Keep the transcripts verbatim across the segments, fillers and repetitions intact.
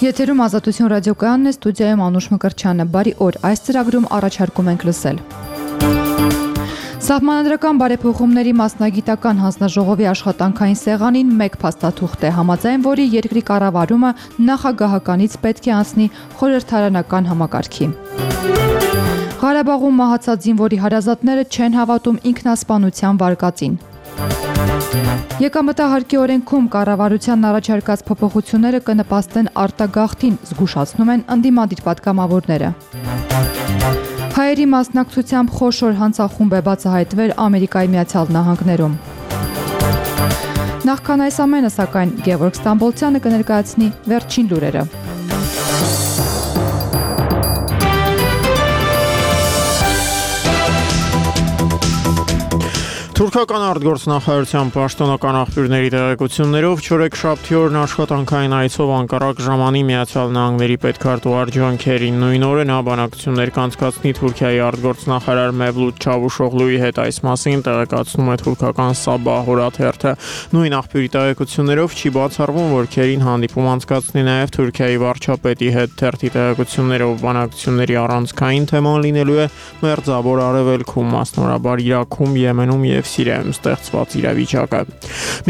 Եթերում Ազատություն ռադիոկայանն է, ստուդիայում Անուշ Մկրտչյանը։ Բարի օր, այս ծրագրում առաջարկում ենք լսել. Սահմանադրական բարեփոխումների մասնագիտական հանձնաժողովի աշխատանքային սեղանին մեկ փաստաթուղթ է, համաձայն որի երկրի կառավարումը նախագահականից պետք է անցնի խորհրդարանական համակարգի։ Ղարաբաղում մահացած զինվորի հարազատները չեն հավատում ինքնասպանության վարկածին։ Եկամտահարկի օրենքում կառավարության առաջարկած փոփոխությունները կնպաստեն արտագաղթին, զգուշացնում են ընդդիմադիր պատգամավորները։ Հայերի մասնակցությամբ խոշոր հանցախումբ է բացահայտվել Ամերիկայի Միացյալ Նահանգներում։ Նախքան այս ամենը, սակայն, Գևորգ Ստամբոլցյանը կներկայացնի վերջին լուրերը։ Թուրքական արտգործնախարարության պաշտոնական աղբյուրների տեղեկություններով չորեքշաբթի օրն աշխատանքային այցով Անկարա ժամանի Միացյալ Նահանգների պետքարտուղար Ջոն Քերին նույն օրը նա բանակցություններ կանցկացնի Թուրքիայի արտգործնախարար Մեվլութ Չավուշօղլուի հետ, այս մասին տեղեկացնում է թուրքական Սաբահ օրաթերթը։ Նույն աղբյուրի տեղեկություններով չի բացառվում, որ Քերին հանդիպում անցկացնի նաև Թուրքիայի վարչապետի հետ։ Թերթի տեղեկություններով բանակցությունների առանցքային թեման լինելու է Մերձավոր Արևելքում, մասնավորաբար Իրաքում, Եմենում և Սիրիայում ստեղծված իրավիճակը։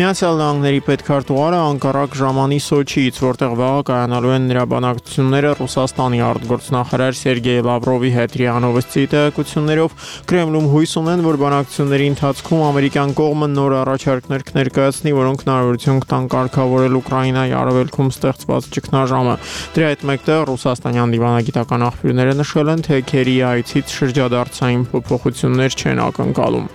Միացյալ Նահանգների պետքարտուղարը Անկարա ժամանի Սոչիից, որտեղ վաղը կայանալու են նրա բանակցությունները Ռուսաստանի արտգործնախարար Սերգեյ Լավրովի հետ։ ՌԻԱ Նովոստի տեղեկություններով Կրեմլում հույս ունեն, որ բանակցությունների ընթացքում ամերիկյան կողմը նոր առաջարկներ կներկայացնի, որոնք հնարավորություն կտան կարգավորել Ուկրաինայի արևելքում ստեղծված ճգնաժամը։ Դրա հետ մեկտեղ ռուսաստանյան դիվանագիտական աղբյուրները նշել են, թե Քերիի այցից շրջադարձային փոփոխություններ չեն ակնկալում։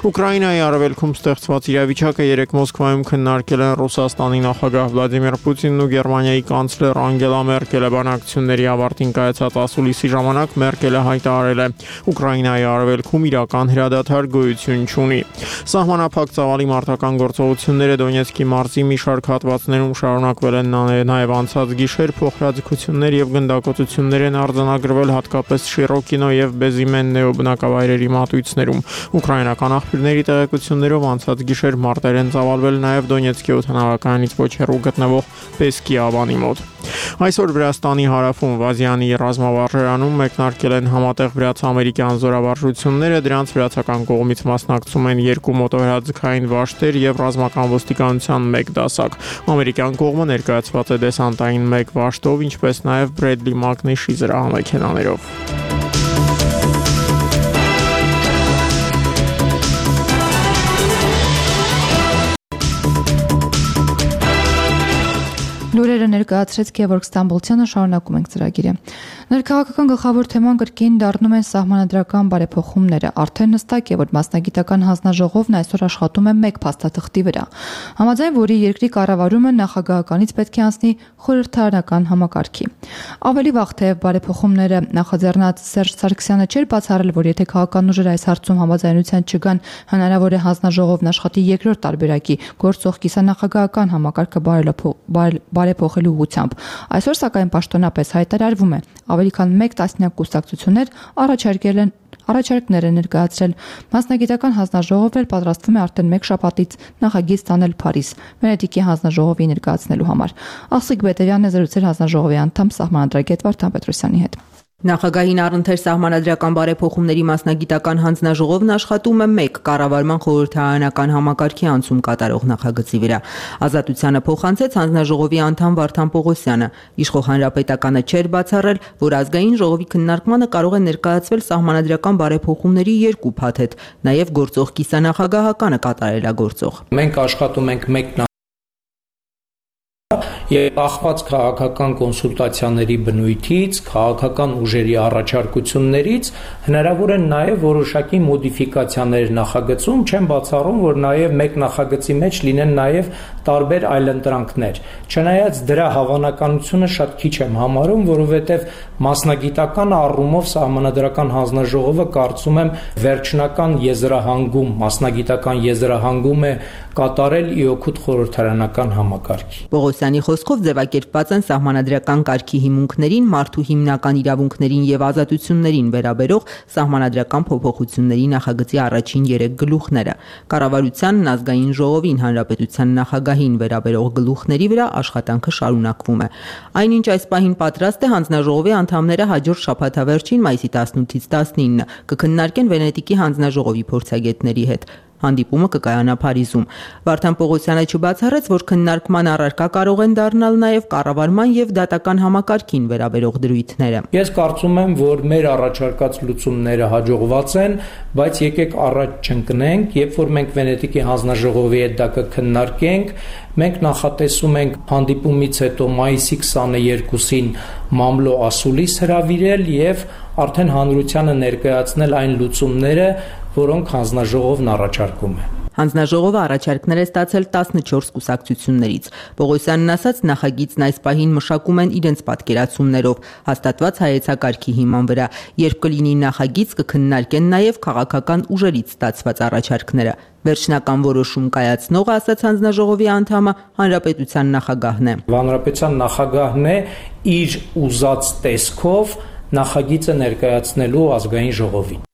Ուկրաինայի արևելքում ստեղծված իրավիճակը երեկ Մոսկվայում քննարկել են Ռուսաստանի նախագահ Վլադիմիր Պուտինն ու Գերմանիայի կանցլեր Անգելա Մերկելը։ Բանակցությունների ավարտին կայացած ասուլիսի ժամանակ Մերկելը հայտարարել է, Ուկրաինայի արևելքում իրական հրադադար գոյություն չունի։ Սահմանափակ ծավալի մարտական գործողությունները Դոնեցկի մարզի մի շարք հատվածներում շարունակվել են, նաև անցած գիշեր փոխհրաձգություններ եւ գնդակոծություններ են արձանագրվել հատկապես Շիրոկինո եւ Բեզիմեննեո բնակավայրերի մատույցներում։ Ուկրաինական աղբյուրների տեղեկություններով անցած գիշեր մարտեր են ծավալվել նաև Դոնեցկի օդանավակայանից ոչ հեռու գտնվող Պեսկի ավանի մոտ։ Այսօր Վրաստանի հարավում Վազյանի ռազմավարժարանում մեկնարկել են համատեղ վրաց-ամերիկյան զորավարժությունները, դրանց վրացական կողմից մասնակցում են երկու մոտոհրաձգային վաշտեր եւ ռազմական ոստիկանության մեկ դասակ։ Ամերիկյան կողմը ներկայացված է դեսանտային մեկ վաշտով, ինչպես նաև Բրեդլի Մակնիշի զրահամեքենաներով։ Լուրերը ներկայացրեց Գևորգ Ստամբոլցյանը, շարունակում ենք ծրագիրը։ Ներքաղաքական գլխավոր թեման կրկին դառնում են սահմանադրական բարեփոխումները։ Արդեն հստակ է, որ մասնագիտական հանձնաժողովն այսօր աշխատում է մեկ փաստաթղթի վրա, համաձայն որի երկրի կառավարումը նախագահականից պետք է անցնի խորհրդարանական համակարգի։ Ավելի վաղ թեև բարեփոխումները նախաձեռնած Սերժ Սարգսյանը չէր բացառել, որ եթե քաղաքական ուժերը այս հարցում համաձայնության չգան, հնարավոր է հանձնաժողովն աշխատի երկրորդ տարբերակի գործող կիսանախագահական համակարգը բարեփոխելու ուղղությամբ։ Այսօր սակայն պաշտոնապես հայտարարվում է, ավելի քան մեկ տասնյակ կուսակցություններ առաջարկել են առաջարկներ են ներկայացրել։ Մասնագիտական հանձնաժողովն էլ պատրաստվում է արդեն մեկ շաբաթից նախագիծ տանել Փարիզ Վենետիկի հանձնաժողովի ներկայացնելու համար։ Աղսիկ Բետևյանն է զրուցել հանձնաժողովի անդամ սահմանադրագետ Վարդան Պետրոսյանի հետ։ Նախագահին առընթեր սահմանադրական բարեփոխումների մասնագիտական հանձնաժողովն աշխատում է մեկ կառավարման խորհրդարանական համակարգի անցում կատարող նախագծի վրա։ Ազատությանը փոխանցեց հանձնաժողովի անդամ Վարդան Պողոսյանը։ Իշխող հանրապետականը չէր բացառել, որ ազգային ժողովի քննարկմանը կարող է ներկայացվել սահմանադրական բարեփոխումների երկու փաթեթ, նաև գործող կիսանախագահականը կատարելագործող։ Մենք աշխատում ենք մեկ Եվ ախված քաղաքական կոնսուլտացիաների բնույթից, քաղաքական ուժերի առաջարկություններից հնարավոր են նաև որոշակի մոդիֆիկացիաներ նախագծում, չեմ բացառում, որ նաև մեկ նախագծի մեջ լինեն նաև տարբեր այլընտրանքներ։ Չնայած դրա հավանականությունը շատ քիչ եմ համարում, որովհետև մասնագիտական առումով սահմանադրական հանձնաժողովը կարծում եմ վերջնական եզրահանգում, մասնագիտական եզրահանգում է կատարել ի օգուտ խորհրդարանական համակարգի։ Պողոսյանի խոսքով ձևակերպված են սահմանադրական կարգի հիմունքներին, մարդու հիմնական իրավունքներին եւ ազատություններին վերաբերող սահմանադրական փոփոխությունների նախագծի առաջին երեք գլուխները։ Կառավարությանն, ազգային ժողովին, հանրապետության նախագահին վերաբերող գլուխների վրա աշխատանքը շարունակվում է։ Այնինչ այս պահին պատրաստ է հանձնաժողովի անդամները հաջորդ շաբաթավերջին մայիսի տասնութից տասնինը կքննարկեն Վենետիկի հանձնաժողովի փորձագետների հետ։ Հանդիպումը կկայանա Փարիզում։ Վարդան Պողոսյանը չբացառեց, որ քննարկման առարկա կարող են դառնալ նաև կառավարման եւ դատական համակարգին վերաբերող դրույթները։ Ես կարծում եմ, որ մեր առաջարկած լուծումները հաջողված են, բայց եկեք առաջ չընկնենք, երբ որ մենք Վենետիկի հանձնաժողովի հետ դա կքննարկենք, մենք նախատեսում ենք հանդիպումից հետո մայիսի քսաներկուսին մամլո ասուլիս հրավիրել եւ արդեն հանրությանը ներկայացնել այն լուծումները, որոնք հանձնաժողովն առաջարկում է։ Հանձնաժողովը առաջարկներ է ստացել տասնչորս կուսակցություններից։ Պողոսյանն ասաց, նախագիծն այս պահին մշակում են իրենց պատկերացումներով, հաստատված հայեցակարգի հիման վրա։ Երբ կլինի նախագիծ, կքննարկեն նաև քաղաքական ուժերից ստացված առաջարկները։ Վերջնական որոշում կայացնողը, ասաց հանձնաժողովի անդամը, հանրապետության նախագահն է։ Հանրապետության նախագահն է իր ուզած տեսքով նախագիծը ներկայացնելու ազգային ժողովին։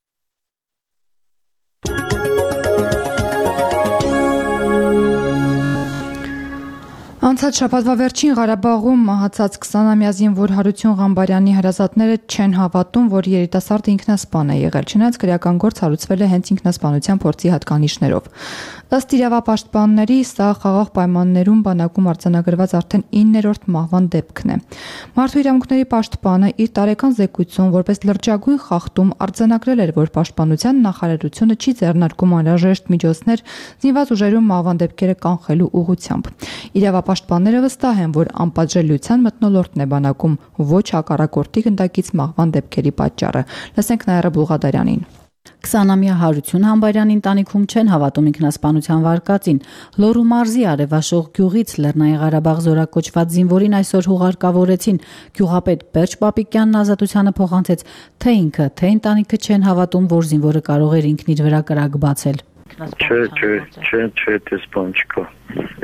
Անցած շաբաթվա վերջին Ղարաբաղում մահացած քսանամյա զինվոր Հարություն Ղամբարյանի հրազատները չեն հավատում, որ երիտասարդը ինքնասպան է եղել, չնայած քրեական գործ հարուցվել է հենց ինքնասպանության փորձի հատկանիշներով։ Ըստ իրավապաշտպանների, սա խաղաղ պայմաններում բանակում արձանագրված արդեն իններորդ մահվան դեպքն է։ Մարդու իրավունքների պաշտպանը իր տարեկան զեկույցում որպես լրջագույն խախտում արձանագրել էր, որ պաշտպանության նախարարությունը չի ձեռնարկում անհրաժեշտ միջոցներ զինված ուժերում մահվան դեպքերը կանխելու ուղղությամբ։ Իրավապաշտպանները վստահ են, որ անպատժելիության մթնոլորտն է բանակում, ոչ հակառակորդի գնդակից մահվան դեպքերի պատճառը։ Լսենք Նաիրա Բուլղադարյանին։ քսանամյա Հարություն Ղամբարյանի ընտանիքում չեն հավատում ինքնասպանության վարկածին։ Լոռու մարզի Արևաշող գյուղից Լեռնային Ղարաբաղ զորակոչված զինվորին այսօր հուղարկավորեցին։ Գյուղապետ Պերճ Պապիկյանն ազատությանը փոխանցեց, թե ինքը, թե ընտանիքը չեն հավատում, որ զինվորը կարող էր ինքն իր վրա կրակ բացել։ Չէ, չէ, չէ, չէ, դες բան չկա։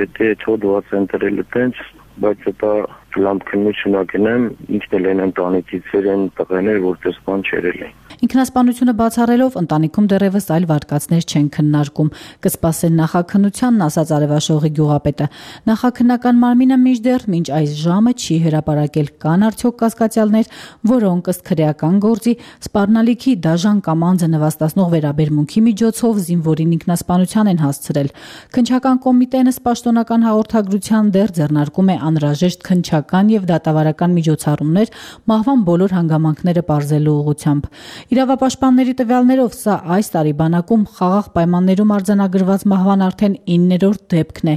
Եթե թողված են դրել տենց, բայց դա լամբ քննությունակնեմ, ինքն էլ են ընտանիքից են տղաներ, որ դες բան չերել են։ Ինքնասպանությունը բացառելով ընտանիքում դեռևս այլ վարկածներ չեն քննարկում։ Կսպասեն նախաքննությանն, ասաց Արևաշողի գյուղապետը։ Նախաքննական մարմինը մինչդեռ մինչ այս ժամը չի հրապարակել, կան արդյոք կասկածյալներ, որոնք ըստ քրեական գործի սպառնալիքի դաժան կամ անձը նվաստացնող վերաբերմունքի միջոցով զինվորին ինքնասպանության են հասցրել։ Քննչական կոմիտեն ըստ պաշտոնական հաղորդագրության դեռ ձեռնարկում է անհրաժեշտ քննչական եւ դատավարական միջոցառումներ մահվան բոլոր հանգամանքները պարզելու ուղղությամբ։ Իրավապաշտպանների տվյալներով սա այս տարի բանակում խաղաղ պայմաններում արձանագրված մահվան արդեն իններորդ դեպքն է։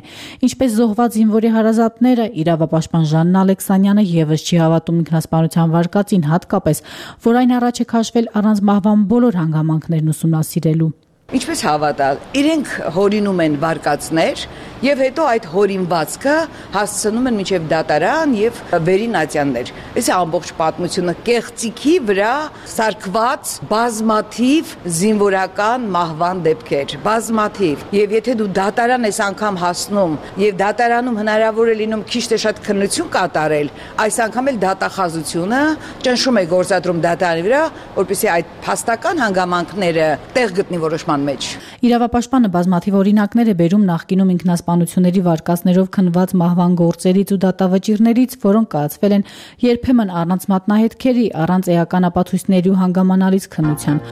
Ինչպես զոհված զինվորի հարազատները, իրավապաշտպան Ժաննա Ալեքսանյանը եւս չի հավատում ինքնասպանության վարկածին, հատկապես, որ այն առաջ է քաշվել առանց մահվան բոլոր հանգամանքներն ուսումնասիրելու։ Ինչպես հավատալ, իրենք հորինում են վարկածներ եւ հետո այդ հորինվածքը հասցնում են մինչեւ դատարան եւ վերին ատյաններ։ Այս ամբողջ պատմությունը կեղծիքի վրա սարքված բազմաթիվ զինվորական մահվան դեպքեր, բազմաթիվ։ Եւ եթե դու դատարան ես անգամ հասնում եւ դատարանում հնարավոր է լինում քիչ թե շատ քննություն կատարել, այս անգամ էլ դատախազությունը ճնշում է գործադրում դատարանի վրա, որպեսզի այդ փաստական հանգամանքները տեղ գտնի որոշման մեջ։ Իրավապաշտպանը բազմաթիվ օրինակներ է բերում նախկինում ինքնասպանությունների վարկածներով քննված մահվան գործերից ու դատավճիռներից, որոնք կայացվել են երբեմն առանց մատնահետքերի, առանց էական ապացույցների ու հանգամանալից քննության։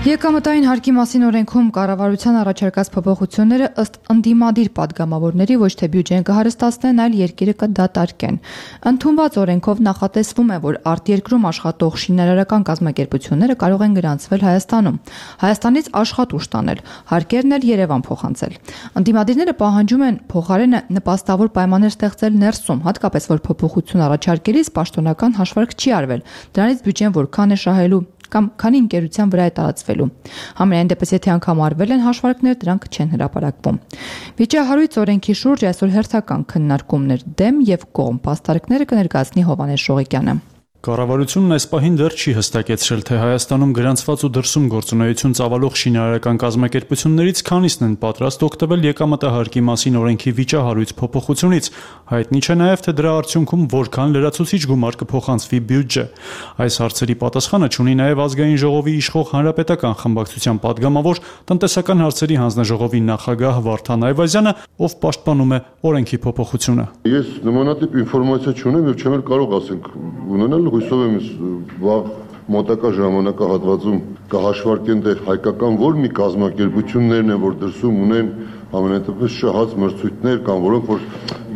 Եկամտային հարկի մասին օրենքում կառավարության առաջարկած փոփոխությունները ըստ ընդդիմադիր падգամավորների ոչ թե բյուջեն կհարստացնեն, այլ երկիրը կդատարկեն։ Ընդունված օրենքով նախատեսվում է, որ արտերկրում աշխատող շինարարական կազմակերպությունները կարող են գրանցվել Հայաստանում, Հայաստանից աշխատուժ տանել, հարկերն էլ Երևան փոխանցել։ Ընդդիմադիրները պահանջում են փոխարենը նպաստավոր պայմաններ ստեղծել ներսում, հատկապես որ փոփոխություն առաջարկելիս պաշտոնական հաշվարկ չի արվել, դրանից բյուջեն որքան է շահելու կամ քանի ընկերության վրա է տարածվելու։ Համենայն դեպս եթե անգամ արվել են հաշվարկներ, դրանք չեն հրապարակվում։ Վիճահարույց օրենքի շուրջ այսօր հերթական քննարկումներ դեմ եւ կողմ, փաստարկները կներկայացնի Հովհաննես Շողիկյանը։ Կառավարությունն այս պահին դեռ չի հստակեցրել, թե Հայաստանում գրանցված ու դրսում գործունեություն ծավալող շինարարական կազմակերպություններից քանիսն են պատրաստ օգտվել եկամտահարկի մասին օրենքի վիճահարույց փոփոխությունից։ Հայտնի չէ նաև, թե դրա արդյունքում որքան լրացուցիչ գումար կփոխանցվի բյուջե։ Այս հարցերի պատասխանը չունի նաև Ազգային ժողովի իշխող Հանրապետական խմբակցության падգամավոր տնտեսական հարցերի հանձնաժողովի նախագահ Վարդան Այվազյանը, ով պաշտպանում է օրենքի փոփոխությունը։ Ես նմանատիպ ինֆորմացիա չունեմ եւ չեմ կարող ասենք ունենալ, հույսով եմ վաղ մոտակա ժամանակահատվածում կհաշվարկեն թե հայկական որ մի կազմակերպություններն են, որ դրսում ունեն ամենատիպից շահած մրցույթներ կամ որոնք որ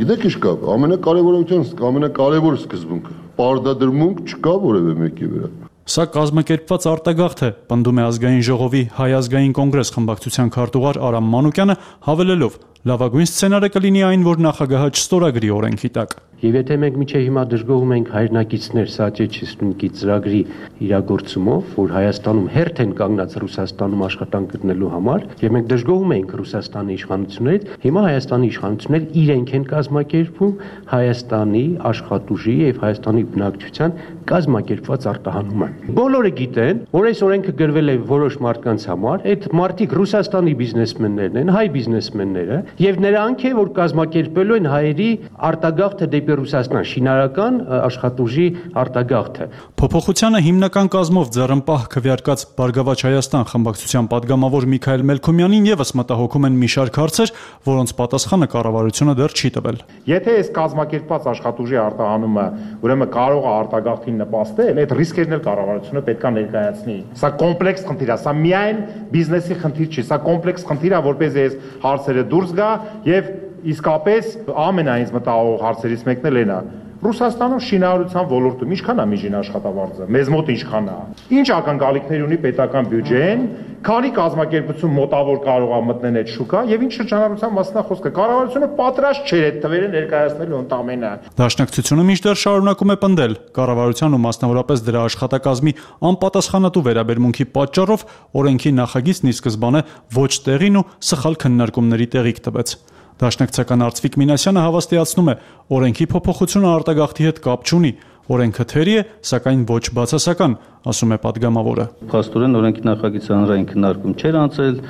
գիտեք ինչ կա, ամենակարևորության, ամենակարևոր սկզբունքը, պարտադրմունք չկա որևէ մեկի վրա։ Սա կազմակերպված արտագաղթ է, պնդում է Ազգային ժողովի Հայ ազգային կոնգրես խմբակցության քարտուղար Արամ Մանուկյանը, հավելելով. լավագույն սցենարը կլինի այն, որ նախագահը չստորագրի օրենքի տակ։ Եվ եթե մենք միջև հիմա դժգոհում ենք հայրենակիցներ Սաճեչիստնիկի ծրագրի իրագործումով, որ Հայաստանում հերթ են կանգնած Ռուսաստանում աշխատանք գտնելու համար, եւ մենք դժգոհում ենք Ռուսաստանի իշխանություններից, հիմա Հայաստանի իշխանությունները իրենք են կազմակերպում Հայաստանի աշխատուժի եւ Հայաստանի բնակչության կազմակերպված արտահանումը։ Բոլորը գիտեն, որ այս օրենքը գրվել է որոշ մարդկանց համար, այդ մարդիկ Ռուսաստանի բիզնեսմեններն են, հայ բիզնեսմենները, եւ նրանք է, որ կազմակերպելու են հայերի արտագաղթը դեպի Ռուսաստան, շինարարական աշխատուժի արտագաղթը։ Փոփոխությանը հիմնական կազմով ձեռնպահ քվեարկած Բարգավաճ Հայաստան խմբակցության падգամավոր Միքայել Մելքոմյանին եւս մտահոգում են մի շարք հարցեր, որոնց պատասխանը կառավարությունը դեռ չի տվել։ Եթե այս կազմակերպված աշխատուժի արտահանումը ուրեմն կարող է արտագաղթին նպաստել, այդ ռիսկերն էլ կառավարությունը պետք է ներկայացնի։ Սա կոմպլեքս խնդիր է, սա միայն բիզնեսի խնդիր չի, սա կոմպլեքս խնդիր է, որպեսզի այս հարցերը դուրս գա եւ իսկապես ամենայից մտահոգող հարցերից մեկն էլ այն է։ Ռուսաստանում շինարարության ոլորտում ինչքան է միջին աշխատավարձը, մեզ մոտ ինչքան է։ Ինչ ակնկալիքներ ունի պետական բյուջեն, քանի կազմակերպություն մոտավոր կարող է մտնել այդ շուկա եւ ինչ շրջանառության մասն է խոսքը։ Կառավարությունը պատրաստ չէր այդ թվերը ներկայացնելու ընդամենը։ Դաշնակցությունը մինչդեռ շարունակում է պնդել կառավարության ու մասնավորապես դրա աշխատակազմի անպատասխանատու վերաբերմունքի պատճառով օրենքի նախագիծն ի սկզբանե ոչ տեղին ու սխալ քննարկումների տեղիք տվեց։ Դաշնակցական Արծվիկ Մինասյանը հավաստիացնում է, օրենքի փոփոխությունը արտագաղթի հետ կապ չունի, օրենքը թերի է, սակայն ոչ բացասական, ասում է падգամավորը։ Փաստորեն օրենքի նախագիծը հանրային քննարկում չէր անցել,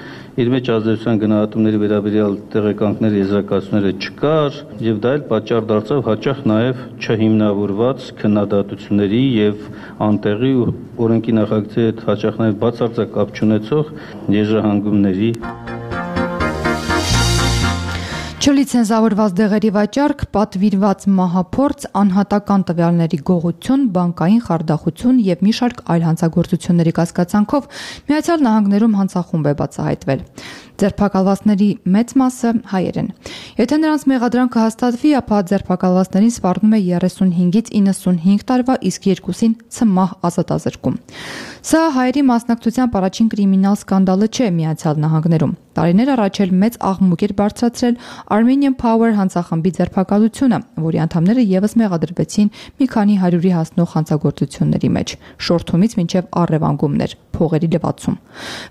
իր մեջ ազդեցության գնահատումների վերաբերյալ տեղեկանքների եզրակացությունները չկար, եւ դա էլ պատճառ դարձավ հաճախ նաեւ չհիմնավորված քննադատությունների եւ անտեղի օրենքի նախագծի հետ հաճախ նաեւ բացարձակ կապ չունեցող եզրահանգումների։ Չլիցենզավորված դեղերի վաճառք, պատվիրված մահափորձ, անհատական տվյալների գողություն, բանկային խարդախություն եւ մի շարք այլ հանցագործությունների կասկածանքով Միացյալ Նահանգներում հանցախումբ է բացահայտվել։ Ձերբակալվածների մեծ մասը հայեր են։ Եթե նրանց մեղադրանքը հաստատվի, ապա ձերբակալվածներին սպառնում է երեսունհինգից իննսունհինգ տարվա, իսկ երկուսին ցմահ ազատազրկում։ Սա հայերի մասնակցությամբ առաջին կրիմինալ սկանդալը չէ Միացյալ Նահանգներում։ Տարիներ առաջ էլ մեծ աղմուկ էր բարձրացրել Armenian Power հանցախմբի ձերբակալությունը, որի անդամները եւս մեղադրվեցին մի քանի հարյուրի հասնող հանցագործությունների մեջ, շորթումից մինչև առևանգումներ, փողերի լվացում։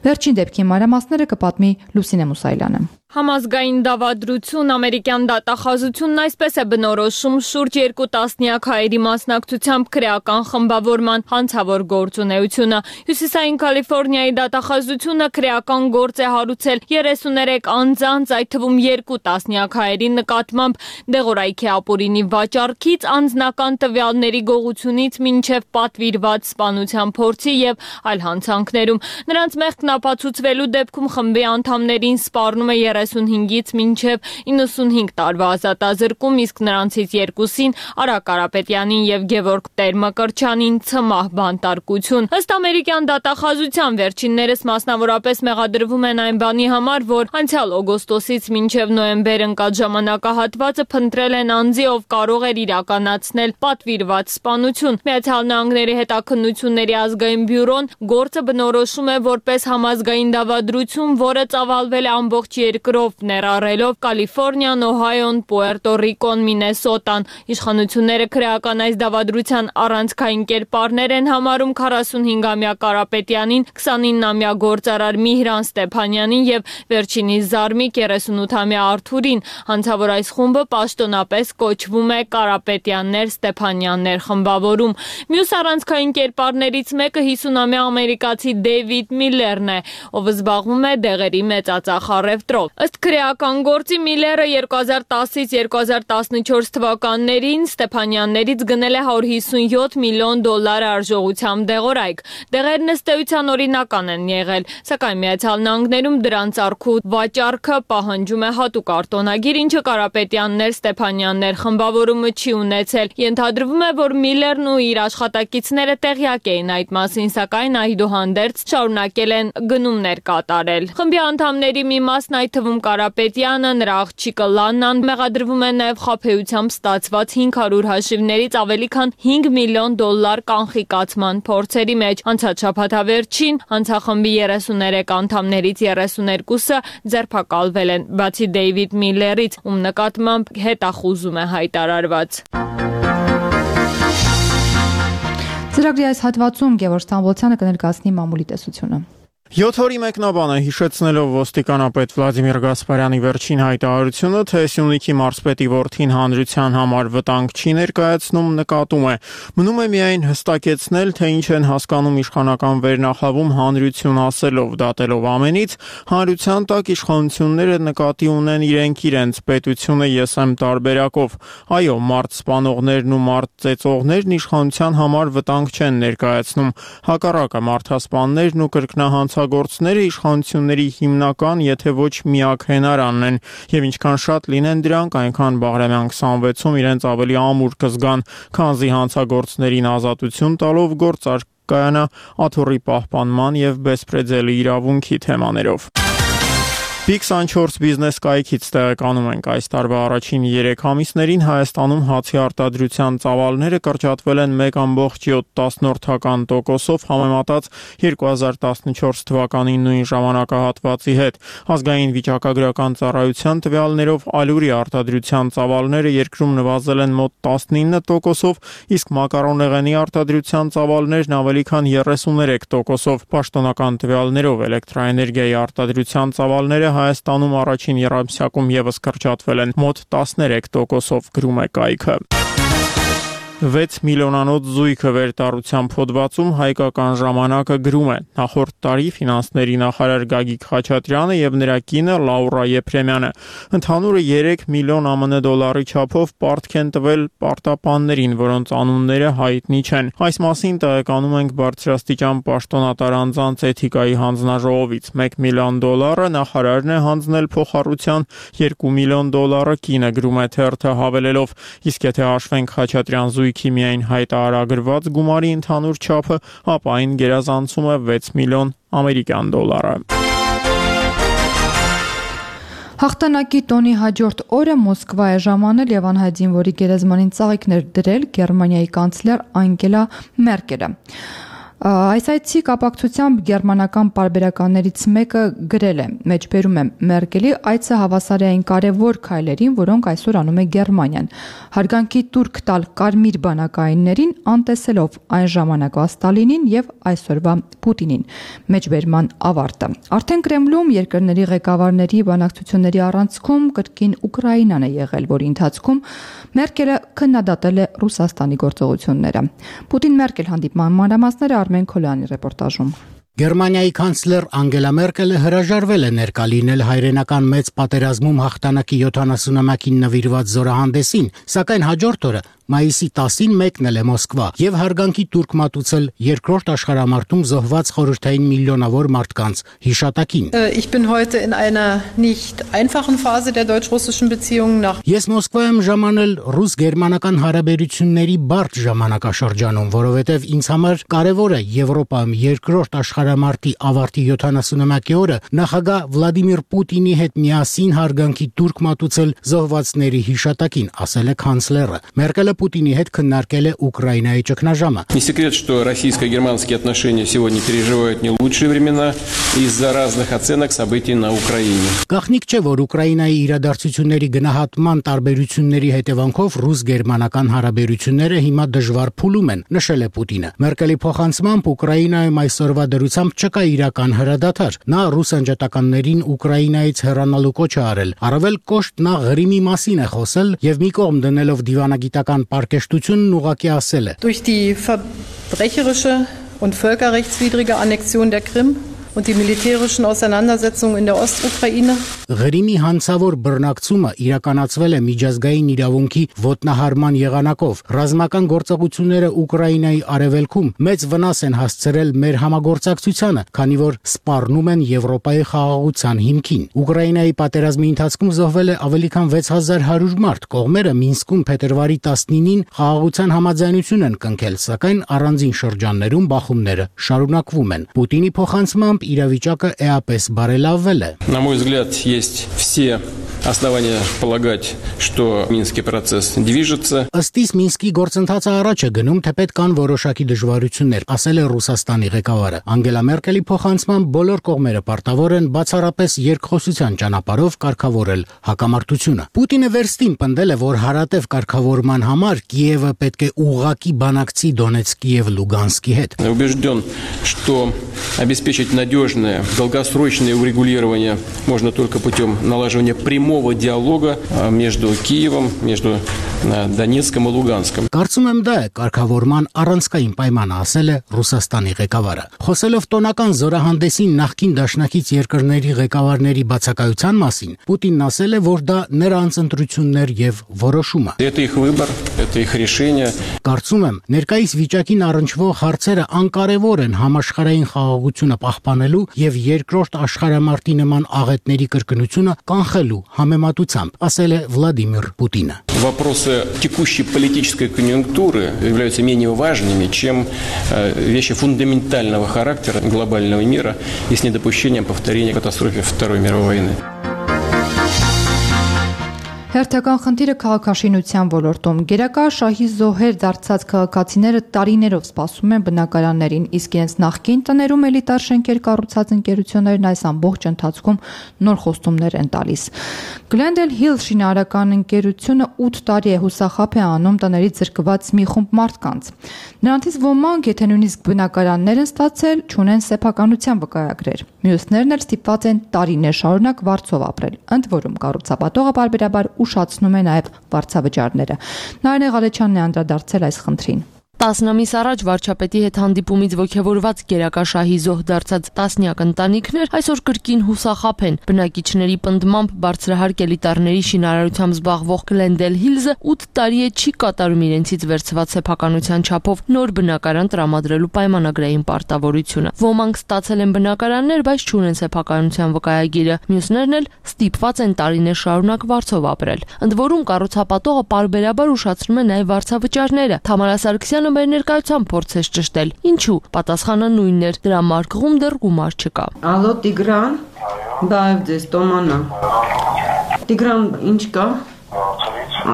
Վերջին դեպքի մանրամասները կպատմի Լուսինե Մուսայելյանը։ Համազգային դավադրություն ամերիկյան դատախազությունն այսպես է բնորոշում շուրջ երկու տասնյակ հայերի մասնակցությամբ քրեական խմբավորման հանցավոր գործունեությունը։ Հյուսիսային Կալիֆոռնիայի դատախազությունը քրեական գործ է հարուցել երեսուներեք անձանց, այդ թվում երկու տասնյակ հայերի նկատմամբ դեղորայքի ապօրինի վաճառքից, անձնական տվյալների գողությունից մինչև պատվիրված սպանության փորձի եւ այլ հանցանքներում։ Նրանց մեղքն ապացուցվելու դեպքում խմբի անդամներին սպառնում է երեսունհինգից մինչև իննսունհինգ տարվա ազատազրկում, իսկ նրանցից երկուսին Արա Կարապետյանին եւ Գևորգ Տեր-Մկրտչյանին ցմահ բանտարկություն։ Ըստ ամերիկյան դատախազության վերջիններս մասնավորապես մեղադրվում են այն բանի համար, որ անցյալ օգոստոսից մինչև նոյեմբեր ընկած ժամանակահատվածը փնտրել են անձի, ով կարող էր իրականացնել պատվիրված սպանություն։ Միացյալ Նահանգների հետաքննությունների ազգային բյուրոն գործը բնորոշում է որպես համազգային դավադրություն, որը ծավալվել է ամբողջ երկրով, ներառելով Կալիֆոռնիան, Օհայոն, Պուերտո Ռիկոն, Մինեսոտան։ Իշխանությունները քրեական այս դավադրության առանցքային կերպարներ են համարում քառասունհինգամյա Կարապետյանին, քսանիննամյա գործարար Միհրան Ստեփանյանին եւ Վերջինիս զարմիկ երեսունութամյա Արթուրին, հանցավոր այս խումբը պաշտոնապես կոչվում է Կարապետյաններ Ստեփանյաններ խմբավորում։ Մյուս առանցքային կերպարներից մեկը հիսունամյա ամերիկացի Դեյվիդ Միլլերն է, ով զբաղվում է դեղերի մեծածախ առևտրով։ Ըստ քրեական գործի Միլլերը երկու հազար տասից երկու հազար տասնչորս թվականներին Ստեփանյաններից գնել է հարյուր հիսունյոթ միլիոն դոլար արժողությամբ դեղորայք։ Դեղերն ըստ էության օրինական են եղել, սակայն Միացյալ Նահանգներում դրանց առքու վաճառքը պահանջում է հատուկ արտոնագիր, ինչը Կարապետյաններ Ստեփանյաններ խմբավորումը չի ունեցել։ Ենթադրվում է, որ Միլլերն ու իր աշխատակիցները տեղյակ էին այդ մասին, սակայն այդուհանդերձ շարունակել են գնումներ կատարել։ Խմբի անդամների մի մասն, այդ թվում Կարապետյանը, նրա աղջիկը Լաննան, մեղադրվում է նաև խաբեությամբ ստացված հինգ հարյուր հաշիվներից ավելի քան հինգ միլիոն դոլար կանխիկացման փորձերի մեջ։ Անցած շաբաթավերջին հանցախմբի երեսուներեք անդամներից երեսուներկուսը ձերբակալվել են, բացի Դեյվիդ Միլլերից, ում նկատմամբ հետախուզում է հայտարարված։ Ծրագրի այս հատվածում Գևորգ Ստամբոլցյանը կներկայացնի մամուլի տեսությունը։ Յոթ օրի մեկնաբանը հիշեցնելով ոստիկանապետ Վլադիմիր Գասպարյանի վերջին հայտարարությունը, թե Սյունիքի մարզպետի որդին հանրության համար վտանգ չի ներկայացնում, նկատում է։ Մնում է միայն հստակեցնել, թե ինչ են հասկանում իշխանական վերնախավում հանրություն ասելով, դատելով ամենից, հանրության տակ իշխանությունները նկատի ունեն իրենք իրենց պետությունը ես եմ տարբերակով։ Այո, մարդ սպանողներն ու մարդ ծեծողներն իշխանության համար վտանգ չեն ներկայացնում, հակառակը մարդասպաններն ու կրկնահանց գործները իշխանությունների հիմնական, եթե ոչ միակ հենարանն են, եւ ինչքան շատ լինեն դրանք, այնքան Բաղրամյան քսանվեցում իրենց ավելի ամուր կզգան, քանզի հանցագործներին ազատություն տալով գործ կայանա աթոռի պահպանման եւ բեսպրեդելի իրավունքի թեմաներով։ Պի քսանչորս բիզնես կայքից տեղեկանում ենք այս տարվա առաջին երեք ամիսներին Հայաստանում հացի արտադրության ծավալները կրճատվել են մեկ ամբողջ յոթ տոկոսով համեմատած երկու հազար տասնչորս թվականի նույն ժամանակահատվածի հետ։ Ազգային վիճակագրական ծառայության տվյալներով ալյուրի արտադրության ծավալները երկրում նվազել են մոտ տասնինը տոկոսով, իսկ մակարոնեղենի արտադրության ծավալներն ավելի քան երեսուներեք տոկոսով։ Պաշտոնական տվյալներով էլեկտրաէներգիայի արտադրության ծավալները Հայաստանում առաջին եռամսյակում ևս կրճատվել են մոտ տասներեք տոկոսով, գրում է կայքը։ վեց միլիոնանոց զույգը վերտառությամբ հոդվածում Հայկական ժամանակը գրում է. նախորդ տարի ֆինանսների նախարար Գագիկ Խաչատրյանը եւ նրա կինը Լաուրա Եփրեմյանը ընդհանուրը երեք միլիոն ԱՄՆ դոլարի չափով պարտք են տվել պարտապաններին, որոնց անունները հայտնի չեն։ Այս մասին տեղեկանում ենք բարձրաստիճան պաշտոնատար անձանց էթիկայի հանձնաժողովից։ մեկ միլիոն դոլարը նախարարն է հանձնել փոխառության, երկու միլիոն դոլարը կինը, գրում է թերթը հավելելով, իսկ եթե հաշվենք Խաչատրյան զույգի միայն հայտարարագրված գումարի ընդհանուր չափը, ապա այն գերազանցում է վեց միլիոն ամերիկյան դոլարը։ Հաղթանակի տոնի հաջորդ օրը Մոսկվա է ժամանել եւ անհայտ զինվորի գերեզմանին ծաղիկներ դրել Գերմանիայի կանցլեր Անգելա Մերկելը։ Այս այցի կապակցությամբ գերմանական պարբերականներից մեկը գրել է. մեջբերում է Մերկելի այցը հավասար է այն կարևոր քայլերին, որոնք այսօր անում է Գերմանիան։ Հարգանքի տուրք տալ կարմիր բանակայիններին, անտեսելով այն ժամանակվա Ստալինին եւ այսօրվա Պուտինին։ Մեջբերման ավարտը։ Արդեն Կրեմլում երկրների ղեկավարների բանակցությունների առանցքում կրկին Ուկրաինան է եղել, որի ընթացքում Մերկելը քննադատել է Ռուսաստանի գործողությունները։ Պուտին-Մերկել հանդիպման մանրամասները Արմեն Քոլյանի ռեպորտաժում։ Գերմանիայի կանցլեր Անգելա Մերկելը հրաժարվել է ներկա լինել հայրենական մեծ պատերազմում հաղթանակի յոթանասունամյակին նվիրված զորահանդեսին, սակայն հաջորդ օրը մայիսի տասին մեկնել է Մոսկվա եւ հարգանքի տուրք մատուցել երկրորդ աշխարհամարտում զոհված խորհրդային միլիոնավոր մարդկանց հիշատակին։ Ich bin heute in einer nicht einfachen Phase der deutsch-russischen Beziehungen nach Ես Մոսկվա եմ ժամանել ռուս-գերմանական հարաբերությունների բարդ ժամանակաշրջանում, որովհետեւ ինձ համար կարեւոր է Եվրոպայում երկրորդ աշխարհամարտի ավարտի յոթանասունամյակի օրը նախագահ Վլադիմիր Պուտինի հետ միասին հարգանքի տուրք մատուցել զոհվածների հիշատակին, ասել է կանցլերը։ Մերկելը Պուտինի հետ քննարկել է Ուկրաինայի ճգնաժամը։ Не секрет, что российско-германские отношения сегодня переживают не лучшие времена из-за разных оценок событий на Украине. Գաղտնիք չէ, որ Ուկրաինայի իրադարձությունների գնահատման տարբերությունների հետևանքով ռուս-գերմանական հարաբերությունները հիմա դժվար փուլում են, նշել է Պուտինը։ Մերկելի փոխանցմամբ Ուկրաինայում այսօրվա դրությամբ չկա իրական հրադադար։ Նա ռուս անջատականներին Ուկրաինայից հեռանալու կոչ է արել։ Առավել կոշտ նա Ղրիմի մասին է խոսել եւ մի կողմ դնելով դիվանագիտական պարկեշտությունն ուղղակի ասել է. Durch die verbrecherische und völkerrechtswidrige Annexion der Krim und die militärischen Auseinandersetzungen in der Ostukraine. Ղրիմի հանցավոր բռնակցումը իրականացվել է միջազգային իրավունքի ոտնահարման եղանակով։ Ռազմական գործողությունները Ուկրաինայի արևելքում մեծ վնաս են հասցրել մեր համագործակցությանը, քանի որ սպառնում են Եվրոպայի խաղաղության հիմքին։ Ուկրաինայի պատերազմի ընթացքում զոհվել է ավելի քան վեց հազար հարյուր մարդ։ Կողմերը Մինսկում փետրվարի տասնինին խաղաղության համաձայնություն են կնքել, սակայն առանձին շրջաններում բախումները շարունակվում են։ Պուտինի փոխանցմամբ իրավիճակը էապես բարելավվել է։ На мой взгляд, есть все основания полагать, что Минский процесс движется. Ըստիս Մինսկի գործընթացը առաջ է գնում, թեպետ կան որոշակի դժվարություններ, ասել է Ռուսաստանի ղեկավարը։ Անգելա Մերկելի փոխանցմամբ բոլոր կողմերը պարտավոր են բացառապես երկխոսության ճանապարհով կարգավորել հակամարտությունը։ Պուտինը վերստին պնդել է, որ հարատև կարգավորման համար Կիևը պետք է ուղղակի բանակցի Դոնեցկի եւ Լուգանսկի հետ։ Убежден, что обеспечить надежное, долгосрочное урегулирование можно только путем налаживания прямого диалога между Киевом, между Դոնեցկом ու Լուգանսկом։ Կարծում եմ դա է կարգավորման առանցքային պայմանը, ասել է Ռուսաստանի ղեկավարը։ Խոսելով տոնական զորահանդեսին նախկին դաշնակից երկրների ղեկավարների բացակայության մասին, Պուտինն ասել է, որ դա նրանց ընտրություններ եւ որոշումը։ Это их выбор, это их решение. Կարծում եմ, ներկայիս վիճակին առնչվող հարցերը անկարևոր են համաշխարհային խաղաղությունը պահպանելու եւ երկրորդ աշխարհամարտի նման աղետների կրկնությունը կանխելու համեմատությամբ, ասել է Վլադիմիր Պուտինը։ Вопросы текущей политической конъюнктуры являются менее важными, чем вещи фундаментального характера глобального мира и с недопущением повторения катастрофы Второй мировой войны. Հերթական խնդիրը քաղաքաշինության ոլորտում գերակա շահի զոհեր դարձած քաղաքացիները տարիներով սպասում են բնակարաններին, իսկ իրենց նախկին տներում էլիտար շենքեր կառուցած ընկերություններն այս ամբողջ ընթացքում նոր խոստումներ են տալիս։ Glendale Hill շինարարական ընկերությունը ութ տարի է հուսախաբ է անում տներից զրկված մի խումբ մարդկանց։ Նրանցից ոմանք, եթե նույնիսկ բնակարաններ են ստացել, չունեն սեփականության վկայագրեր։ Մյուսներն էլ ստիպված են տարիներ շարունակ վարձով ապրել։ Ընդ որում կառուցապատողը բարբերաբար ուշացնում է նաև վարձավճարները։ Նարինե Ղալեչյանն է անդրադարձել այս խնդրին։ տասն ամիս առաջ վարչապետի հետ հանդիպումից ոգևորված գերակա շահի զոհ դարձած տասնյակ ընտանիքներ այսօր կրկին հուսախաբ են։ Բնակիչների պնդմամբ բարձրահարկ էլիտարների շինարարությամբ զբաղվող Glendale Hills-ը ութ տարի է չի կատարում իրենցից վերցված սեփականության չափով նոր բնակարան տրամադրելու պայմանագրային պարտավորությունը։ Ոմանք ստացել են բնակարաններ, բայց չունեն սեփականության վկայագիրը, մյուսներն էլ ստիպված են տարիներ շարունակ վարձով ապրել։ Ընդ որում կառուցապատողը պարբերաբար ուշացնում է նաև վարձավճարները։ Թամարա Սարգսյանը մեր ներկայությամբ փորձեց ճշտել։ Ինչու՞։ Պատասխանը նույնն էր, դրա մարգղում դեռ գումար չկա։ Ալո Տիգրան, բայ ձեզ Տոմանա։ Տիգրան, ինչ կա։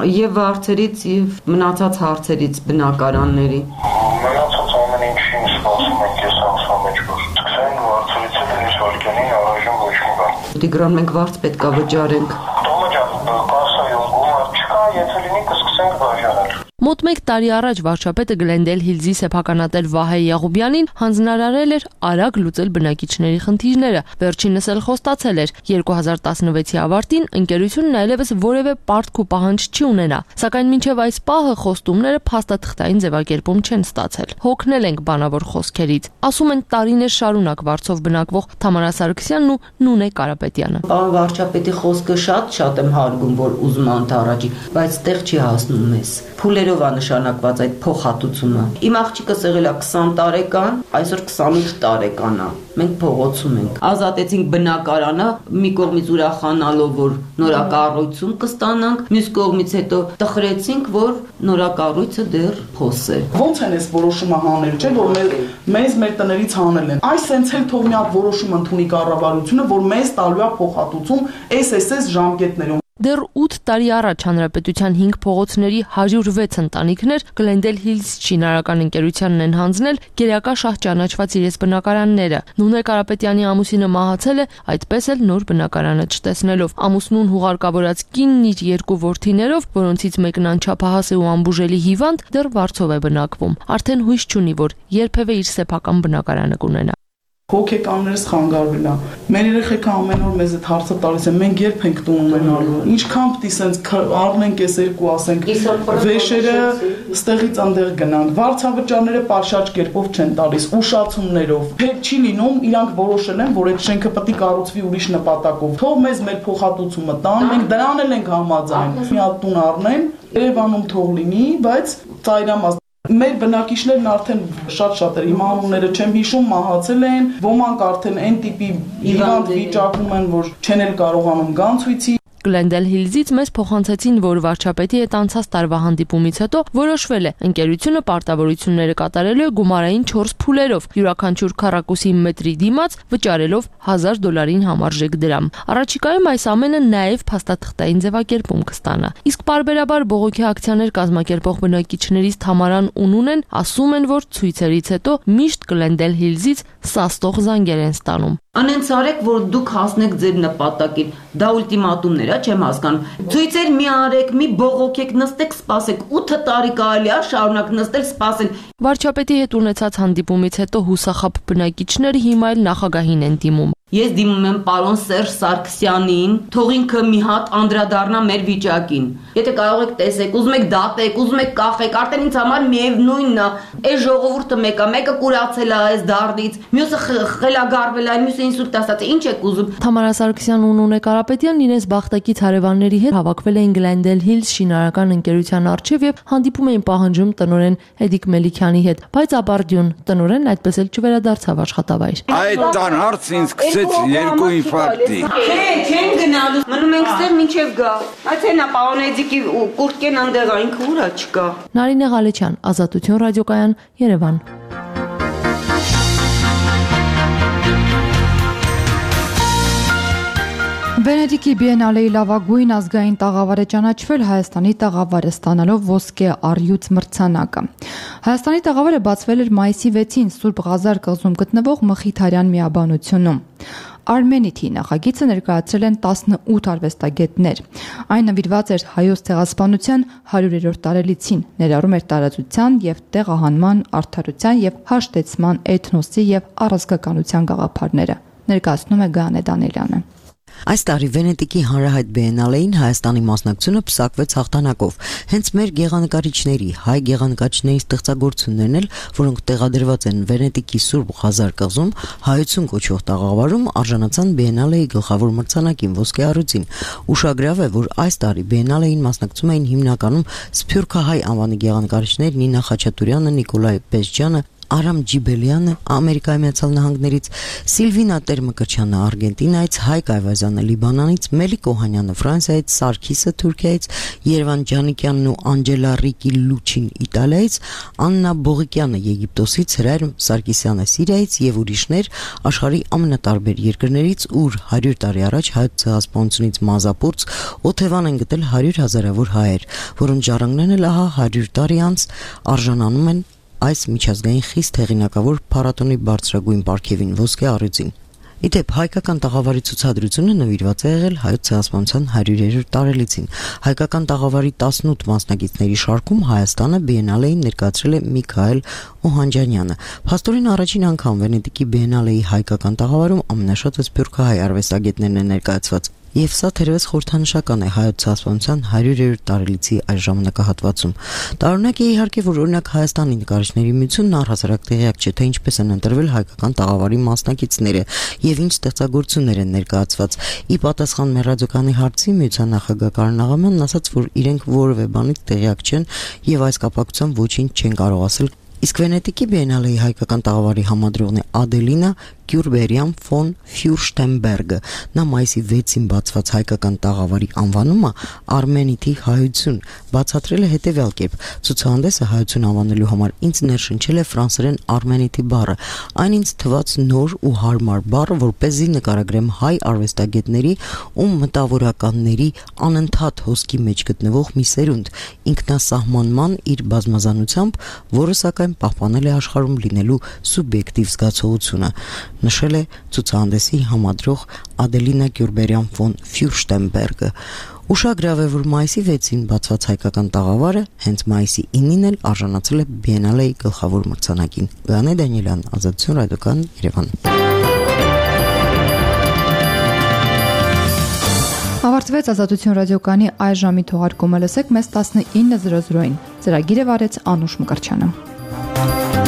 Եվ վարձերից եւ մնացած հարցերից բնակարանների։ Մնացած ամեն ինչին սպասում ենք ես ամսվա մեջ որ սկսենք վարձերից էլ շարքյանին առայժմ ոչ մի բան։ Տիգրան, մենք վարձ պետքա վճարենք։ Տոմա ջան, կասայում գումար չկա, եթե լինի կսկսենք բաժանել։ Մոտ մեկ տարի առաջ վարչապետը Glendale Hills-ի սեփականատեր Վահե Եղուբյանին հանձնարարել էր արագ լուծել բնակիչների խնդիրները։ Վերջինս էլ խոստացել էր երկու հազար տասնվեցի ավարտին ընկերությունն այլևս որևէ պարտք ու պահանջ չի ունենա, սակայն մինչև այս պահը խոստումները փաստաթղթային ձևակերպում չեն ստացել։ Հոգնել ենք բանավոր խոսքերից, ասում են տարիներ շարունակ վարձով բնակվող Թամարա Սարգսյանն ու Նունե Կարապետյանը։ Պարոն վարչապետի խոսքը շատ-շատ եմ հարգում, որ ուզում անտառաջի, բայց տեղ չի հասնում մեզ։ Փուլերով է նշանակված այդ փոխհատուցումը։ Իմ աղջիկս եղել է քսան տարեկան, այսօր քսանութ տարեկան է։ Մենք փողոցում ենք։ Ազատեցինք բնակարանը, մի կողմից ուրախանալով, որ նորակառույցում կստանանք, մյուս կողմից հետո տխրեցինք, որ նորակառույցը դեռ փոս է։ Ոնց են այս որոշումը հանել, չէ՞ որ մեր մեզ մեր տներից հանել են։ Այս սենց էլ թող մի հատ որոշում ընդունի կառավարությունը, որ մեզ տալու է փոխհատուցում էս էս էս ժամկետներում։ Դեռ ութ տարի առաջ հանրապետության հինգ փողոցների հարյուր վեց ընտանիքներ Glendale Hills շինարարական ընկերությանն են հանձնել գերակա շահ ճանաչված իրենց բնակարանները։ Նունե Կարապետյանի ամուսինը մահացել է, այդպես էլ նոր բնակարանը չտեսնելով։ Ամուսնուն հուղարկավորած կինն իր երկու որդիներով, որոնցից մեկն անչափահաս է ու անբուժելի հիվանդ, դեռ վարձով է բնակվում։ Արդեն հույս չունի, որ երբևէ իր սեփական բնակարանը կունենա։ Հոգեկաններս խանգարվել է։ Մեր երեխեքը ամեն օր մեզ այդ հարցը տալիս են, մենք երբ ենք տուն ունենալու։ Ինչքան պիտի սենց առնենք այս երկու, ասենք, վեշերը ստեղից անդեղ գնանք։ Վարձավճարները պաշարջ կերպով չեն տալիս, ուշացումներով։ Պետք չի լինում, իրանք որոշել են, որ այդ շենքը պետք է կառուցվի ուրիշ նպատակով։ Թող մեզ մեր փոխհատուցումը տան, մենք դրան էլ ենք համաձայն։ Մի հատ տուն առնեն, Երևանում թող լինի, բայց ծայրամաս Մեր բնակիչներն արդեն շատ-շատ էր, հիմա անունները չեմ հիշում, մահացել են, ոմանք արդեն այն տիպի հիվանդ վիճակում են, որ չեն էլ կարողանում գան ցույցի։ Glendale Hills-ից մեզ փոխանցեցին, որ վարչապետի հետ անցած տարվա հանդիպումից հետո որոշվել է ընկերությունը պարտավորությունները կատարելու է գումարային չորս փուլերով, յուրաքանչյուր քառակուսի մետրի դիմաց վճարելով հազար դոլարին համարժեք դրամ։ Առաջիկայում այս ամենը նաև փաստաթղթային ձևակերպում կստանա։ Իսկ պարբերաբար բողոքի ակցիաներ կազմակերպող բնակիչներից Թամարան ու Նունեն ասում են, որ ցույցերից հետո միշտ Glendale Hills-ից սաստող զանգեր են ստանում։ Անենց արեք, որ դուք հասնեք ձեր նպատակին։ Դա ուլտիմատումներ է, չեմ հասկանում։ Ցույցեր մի արեք, մի բողոքեք, նստեք, սպասեք։ ութ տարի կարելի է շարունակ նստել, սպասել։ Վարչապետի հետ ունեցած հանդիպումից հետո հուսախաբ բնակիչները հիմա էլ նախագահին են դիմում։ Ես դիմում եմ պարոն Սերժ Սարգսյանին, թող ինքը մի հատ անդրադառնա մեր վիճակին։ Եթե կարող եք տեսեք, ուզում եք դատեք, ուզում եք կախեք, արդեն ինձ համար միևնույնն է։ Այս ժողովուրդը մեկը, մեկը կուրացել է այս դարդից, մյուսը խելագարվել է, մյուսը ինսուլտ ասած է, ինչ եք ուզում։ Թամարա Սարգսյանն ու Նունե Կարապետյանն իրենց բախտակից հարևանների հետ հավաքվել էին Glendale Hills շինարարական ընկերության առջև եւ հանդիպում էին պահանջում տնօրեն Էդիկ Մելիքյանի հետ, բայց ապարդյուն տնօրենն այդպես էլ չվերադարձավ աշխատավայր։ Այդ տան հարց ինձ երկու ինֆարկտի։ Չէ, չեն գնալու։ Մնում ենք ստեղ մինչև գա։ Այդ հենա պարոն Էդիկի կուրտկեն անդեղ ինքը ուրա չկա։ Նարինե Ղալեչյան, Ազատություն ռադիոկայան, Երևան։ Վենետիկի Բիենալեի լավագույն ազգային տաղավար է ճանաչվել Հայաստանի տաղավարը ստանալով ոսկե առյուծ մրցանակը։ Հայաստանի տաղավարը բացվել էր մայիսի վեցին Սուրբ Ղազար կղզում գտնվող Մխիթարյան միաբանությունում։ Armenity նախագիծը ներկայացրել են տասնութ արվեստագետներ։ Այն նվիրված էր հայոց ցեղասպանության հարյուրերորդ տարելիցին, ներառում էր տարածության եւ տեղահանման, արդարության եւ հաշտեցման, էթնոսի եւ առազգականության գաղափարները։ Ներկայացնում է Գանե Դանելյանը։ Այս տարի Վենետիկի հանրահայտ Բիենալեին Հայաստանի մասնակցությունը պսակվեց հաղթանակով։ Հենց մեր գեղանկարիչների, հայ գեղանկարիչների ստեղծագործություններն էլ, որոնք տեղադրված են Վենետիկի Սուրբ Ղազար կղզում, հայություն կոչվող տաղավարում արժանացան Բիենալեի գլխավոր մրցանակին ոսկե առյուծին։ Ուշագրավ է, որ այս տարի Բիենալեին մասնակցում էին հիմնականում սփյուռքահայ անվանի գեղանկարիչներ Նինա Խաչատուրյանը, Նիկոլայ Պեզջյանը, Արամ Ջիբելյանը Ամերիկայի Միացյալ Նահանգներից, Սիլվինա Տերմկրչյանը Արգենտինայից, Հայկ Այվազյանը Լիբանանից, Մելիք Օհանյանը Ֆրանսիայից, Սարգիսը Թուրքիայից, Երևան Ջանիկյանն ու Անջելա Ռիկի Լուչին Իտալիայից, Աննա Բողիկյանը Եգիպտոսից, Հրայր Սարգսյանը Սիրիայից եւ ուրիշներ աշխարհի ամենատարբեր երկրներից, ուր հարյուր տարի առաջ հայոց ցեղասպանությունից մազապուրց օթևան են գտել հարյուր հազարավոր հայեր, որոնց ժառանգներն էլ ահա հարյուր տարի անց արժանանում են այս միջազգային խիստ հեղինակավոր փառատոնի բարձրագույն պարգևին ոսկե առյուծին։ Իդեպ հայկական տաղավարի ցուցադրությունը նվիրված է եղել հայոց ցեղասպանության հարյուրերորդ տարելիցին։ Հայկական տաղավարի տասնութ մասնակիցների շարքում Հայաստանը Բիենալեին ներկայացրել է Միքայել Օհանջանյանը։ Փաստորեն առաջին անգամ Վենետիկի Բիենալեի հայկական տաղավարում ամենաշատը սփյուռքահայ արվեստագետներն են ներկայացված։ Եվ սա թերևս խորհրդանշական է հայոց ցեղասպանության հարյուրերորդ տարելիցի այս ժամանակահատվածում։ Տարօրինակ է իհարկե, որ օրինակ Հայաստանի նկարիչների միությունն առհասարակ տեղյակ չէ, թե ինչպես են ընտրվել հայկական տաղավարի մասնակիցները եւ ինչ ստեղծագործություններ են ներկայացված։ Ի պատասխան մեր ռադիոկայանի հարցի միության նախագահ Կարեն Աղամյանն ասաց, որ իրենք որևէ բանից տեղյակ չեն եւ այս կապակցությամբ ոչինչ չեն կարող ասել։ Իսկ Վենետիկի Բիենալեի հայկական տաղավարի համադրողն է Ադելինա Գյուրբերյան ֆոն Ֆյուրշտենբերգը։ Նա մայիսի վեցին բացված հայկական տաղավարի անվանումը Արմենիթի հայություն բացատրել է հետևյալ կերպ. ցուցահանդեսը հայություն անվանելու համար ինձ ներշնչել է ֆրանսերեն Արմենիթի բառը, այն ինձ թվաց նոր ու հարմար բառ, որպեսզի նկարագրեմ հայ արվեստագետների ու մտավորականների անընդհատ հոսքի մեջ գտնվող մի սերունդ, ինքնասահմանման իր բազմազանությամբ, որը սակայն պահպանել է աշխարհում լինելու սուբյեկտիվ զգացողությունը, նշել է ցուցահանդեսի համադրող Ադելինա Գյուրբերյան ֆոն Ֆյուրշտենբերգը։ Ուշագրավ է, որ մայիսի վեցին բացված հայկական տաղավարը հենց մայիսի ինին էլ արժանացել է Բիենալեի գլխավոր մրցանակին։ Գանե Դանիելյան, Ազատություն ռադիոկան, Երևան։ Ավարտվեց Ազատություն ռադիոկանի այս ժամի թողարկումը, լսեք մեզ տասնինը զրո զրոին։ Ծրագիրը վարեց Անուշ Մկրտչյանը։